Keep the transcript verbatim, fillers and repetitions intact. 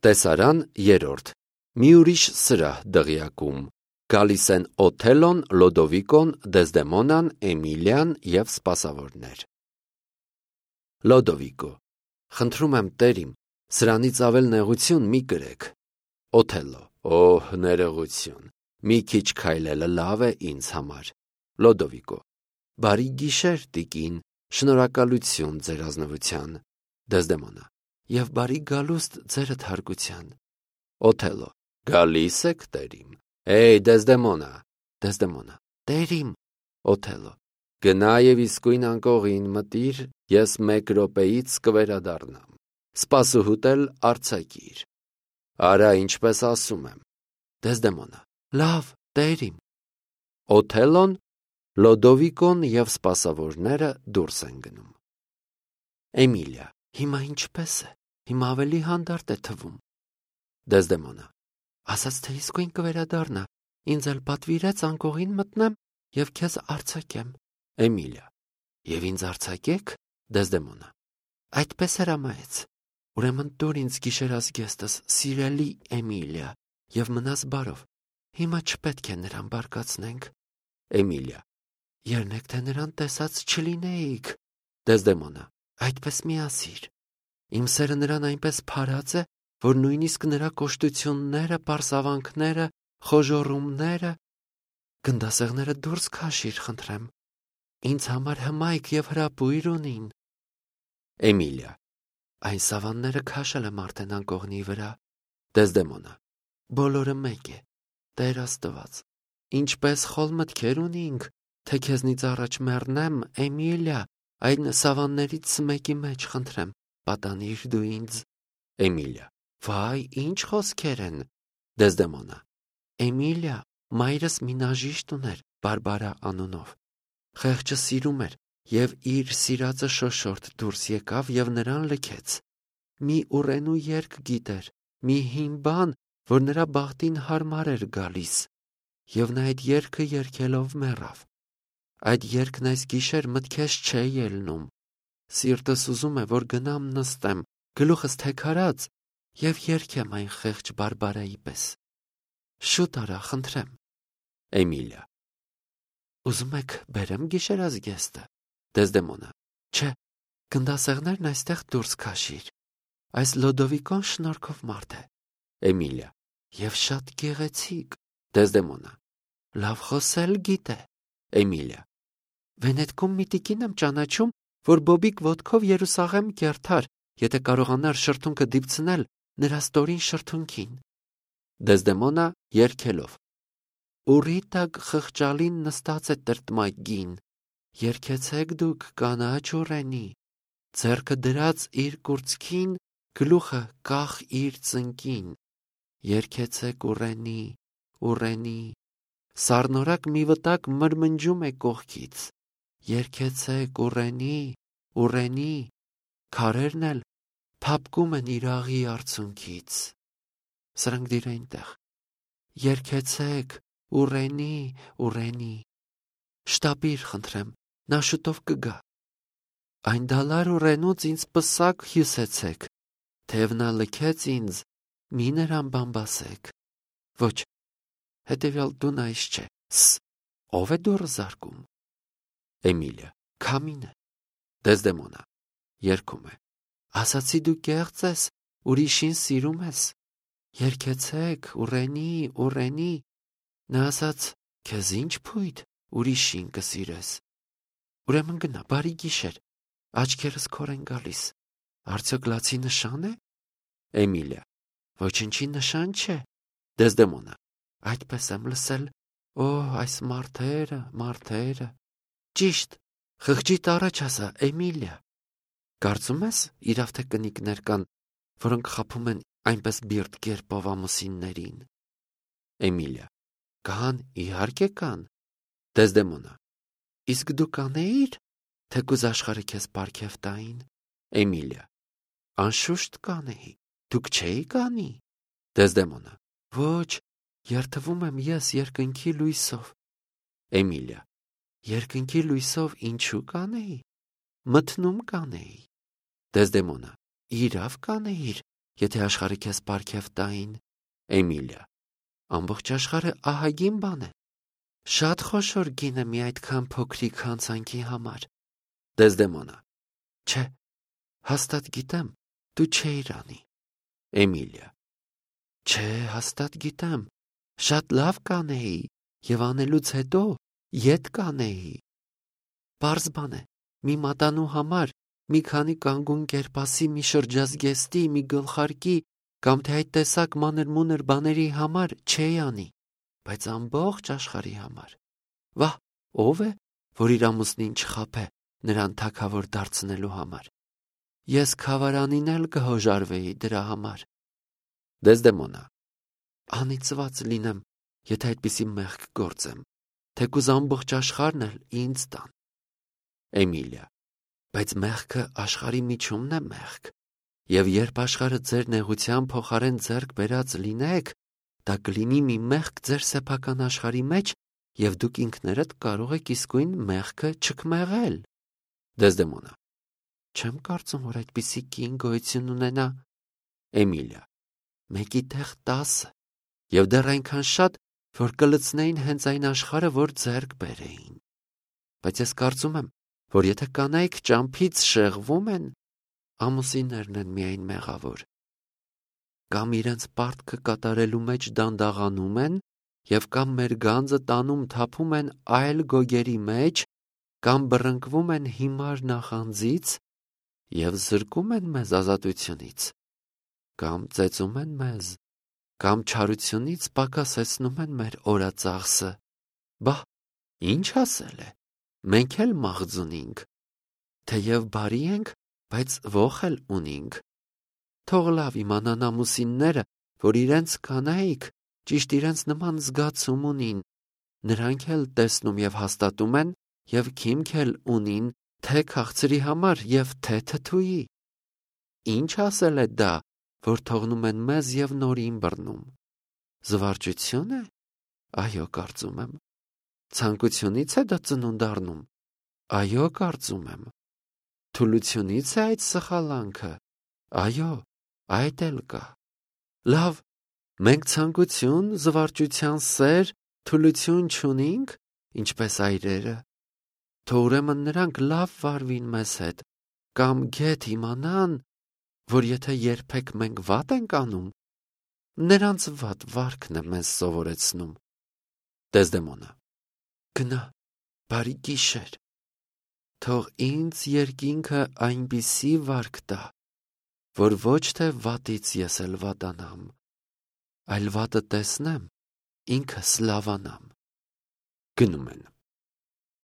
Տեսարան երրորդ. Մի ուրիշ սրահ դղյակում. գալիս են Օթելոն, Լոդովիկոն, Դեզդեմոնան, Էմիլիան և սպասավորներ։ Լոդովիկո. Խնդրում եմ Տեր իմ, սրանից ավել նեղություն մի կրեք։ Օթելլո. Օհ, ներողություն, մի քիչ քայլելը լավ է ինձ համար։ Լոդովիկո. Բարի գիշեր, տիկին, շնորհակալություն ձեր ազնվության։ Դեզդեմոնա. Եվ բարի գալուստ ձերդ հարգության։ Օթելլո. Գալիս եք, Տեր իմ։ Էй, Դեզդեմոնա։ Դեզդեմոնա. Տեր իմ։ Օթելլո. Գնա և իսկույն անկողին մտիր, ես մեկ րոպեից կվերադառնամ։ Սպասուհուտ էլ արձակիր։ Արա, ինչպես ասում եմ։ Դեզդեմոնա. Լավ, Տեր իմ։ Օթելլոն, Լոդովիկոն և սպասավորները դուրս են գնում։ Էմիլիա. Հիմա ինչպես է, հիմա ավելի հանդարտ է թվում։ Դեզդեմոնա. Ասաց, թե իսկույն կվերադառնա, ինձ էլ պատվիրեց անկողին մտնեմ և քեզ արձակեմ։ Էմիլիա. Եվ ինձ արձակեք։ Դեզդեմոնա. Այդպես հրամայեց։ Ուրեմն տուր ինձ գիշերազգեստս, սիրելի Էմիլիա, և մնաս բարով, հիմա չպետք է նրան բարկացնենք։ Էմիլիա. Եռնեք, թե նրան տեսած չլինեիք։ Դեզդեմոնա. Այդպես մի ասիր։ Իմ սերը նրան այնպես փարած է, որ նույնիսկ նրա կոշտությունները, պարսավանքները, խոժոռումները… Գնդասեղները դուրս քաշիր, խնդրեմ։ Ինձ համար հմայք և հրապույր ունին։ Էմիլիա. Այն սավանները քաշել եմ արդեն անկողնի վրա։ Դեզդեմոնա. Բոլորը մեկ է, Տեր Աստված, ինչպես խոլ մտքեր ունինք, թե քեզնից առաջ մեռնեմ, Էմիլիա, այն սավաններից մեկի մեջ, խնդրեմ, պատանիր դու ինձ։ Էմիլիա. Վայ, ինչ խոսքեր են։ Դեզդեմոնա. Էմիլիա, մայրս մի նաժիշտ ուներ, Բարբարա անունով։ Խեղճը սիրում էր, և իր սիրածը շոշորդ դուրս եկավ և նրան լքեց։ Մի ուռենու երգ գիտեր, մի հին բան, որ նրա բախտին հարմար էր գալիս, և նա այդ երգը երգելով մեռավ։ Այդ երգն այս գիշեր մտքես չէ ելնում։ Սիրտս ուզում է, որ գնամ նստեմ, գլուխս թեքարած և երգեմ այն խեղճ Բարբարայի պես։ Շուտ արա, խնդրեմ։ Էմիլիա. Ուզում եք բերեմ գիշերազգեստը։ Դեզդեմոնա. Չէ, գնդասեղներն այստեղ դուրս քաշիր։ Այս Լոդովիկոն շնորհքով մարդ է։ Էմիլիա. Եվ շատ գեղեցիկ։ Դեզդեմոնա. Լավ խոսել գիտե։ Էմիլիա. Վենետքում մի տիկին եմ ճանաչում, որ բոբիկ ոտքով Երուսաղեմ կերթար, եթե կարողանար շրթունքը դիպցնել նրա ստորին շրթունքին։ Դեզդեմոնա երգելով. Ուռի տակ խղճալին նստած է տրտմագին, երգեցեք դուք կանաչ ուռենի, ձեռքը դրած իր կուրծքին, գլուխը կախ իր ծնկին, երգեցեք ուռենի, ուռենի, սառնորակ մի վտակ մրմնջում է կողքից, երգեցեք ուռենի, ուռենի, քարերն էլ փափկում են իր աղի արցունքից։ Սրանք դիր այնտեղ։ Երգեցեք ուռենի, ուռենի։ Շտապիր, խնդրեմ, նա շուտով կգա։ Այն դալար ուռենուց ինձ պսակ հյուսեցեք, թեև նա լքեց ինձ, մի նրան բամբասեք։ Ոչ, հետևյալ դուն այս չէ։ Ս, ով է դուռը զարկում։ Էմիլիա. Քամին է։ Դեզդեմոնա երգում է. Ասացի դու կեղծ ես, ուրիշին սիրում ես։ Երգեցեք ուռենի, ուռենի։ Նա ասաց, քեզ ինչ փույթ, ուրիշին կսիրես։ Ուրեմն գնա, բարի գիշեր, աչքերս քոր են գալիս։ Արդյոք լացի նշան է։ Էմիլիա. Ոչնչի նշան չէ։ Դեզդեմոնա. Այդպես եմ լսել։ Օ, այս մարդերը, մարդերը։ Ճիշտ, խղճիդ առաջ ասա, Էմիլիա։ Կարծում ես, իրավ թե կնիկներ կան, որոնք խաբում են այնպես բիրտ կերպով ամուսիններին։ Էմիլիա. Կան, իհարկե կան։ Դեզդեմոնա. Իսկ դու կանեիր, թեկուզ աշխարհը քեզ պարգև տային։ Էմիլիա. Անշուշտ կանեի, դուք չէիք անի։ Դեզդեմոնա. Ոչ, երթվում եմ ես երկնքի լույսով։ Էմիլիա. Երկնքի լույսով ինչու կանեի։ Մթնում կանեի։ Դեզդեմոնա. Իրավ կանեիր, եթե աշխարհը քեզ պարգև տային։ Էմիլիա. ամբողջ աշխարհը ահագին բան է։ Շատ խոշոր գին է մի այդքան փոքրիկ հանցանքի համար։ Դեզդեմոնա. չէ, հաստատ գիտեմ, դու չէիր անի։ Էմիլիա. չէ, հաստատ գիտեմ, շատ լավ կանեի եւ անելուց հետո ետ կանեի։ Պարզ բան է, մի մատանու համար, մի քանի կանգուն կերպասի, մի շրջազգեստի, մի գլխարկի կամ թե այդ տեսակ մանր-մունր բաների համար չէի անի, բայց ամբողջ աշխարհի համար։ Վահ, ով է, որ իր ամուսնին չխաբե նրան թագավոր դարձնելու համար։ Ես քավարանին էլ կհոժարվեի դրա համար։ Դեզդեմոնա. անիծված լինեմ, եթե այդպիսի մեղք գործեմ, թեկուզ ամբողջ աշխարհն էլ ինձ տան։ Էմիլիա. բայց մեղքը աշխարհի միջումն է մեղք, եւ երբ աշխարհը ձեր նեղության փոխարեն ձեռք բերած լինեք, դա կլինի մի մեղք ձեր սեփական աշխարհի մեջ, եւ դուք ինքներդ կարող եք իսկույն մեղքը չքմեղել։ Դեզդեմոնա. չեմ կարծում, որ այդպիսի կին գոյություն ունենա։ Էմիլիա. մեկի տեղ տասը, եւ դեռ այնքան շատ, որ կլցնեին հենց այն աշխարհը, որ ձեռք բերեին։ Բայց ես կարծում եմ, որ եթե կանայք ճամփից շեղվում են, ամուսիններն են միայն մեղավոր։ Կամ իրենց պարտքը կատարելու մեջ դանդաղանում են, եւ կամ մեր գանձը տանում թափում են այլ գոգերի մեջ, կամ բռնկվում են հիմար նախանձից եւ զրկում են մեզ ազատությունից, կամ ծեծում են մեզ, կամ չարությունից պակասեցնում են մեր օրածախսը։ Բա, ինչ ասել է, մենք էլ մաղձունինք, թեև բարի ենք, բայց ոխ էլ ունինք։ Թող լավ իմանան ամուսինները, որ իրենց կանայք ճիշտ իրենց նման զգացում ունին, նրանք էլ տեսնում եւ հաստատում են եւ քիմք էլ ունին թե քաղցրի համար եւ թե թթուի։ Ինչ ասել է դա, որ թողնում են մեզ եւ նորին բռնում։ Զվարճություն է։ Այո, կարծում եմ։ Ցանկությունից է դա ծնունդ առնում։ Այո, կարծում եմ։ Թուլությունից է այդ սխալանքը։ Այո, այդ էլ կա։ Լավ, մենք ցանկություն, զվարճության սեր, թուլություն չունինք, ինչպես այրերը։ Թող ուրեմն նրանք լավ վարվին մեզ հետ, կամ գեթ իմանան, որ եթե երբեք մենք վատ ենք անում, նրանց վատ վարքն է մեզ սովորեցնում։ Դեզդեմոնա. գնա, բարի գիշեր։ Թող ինձ երկինքը այնպիսի վարք տա, որ ոչ թե վատից ես էլ վատանամ, այլ վատը տեսնեմ, ինքս լավանամ։ Գնում են։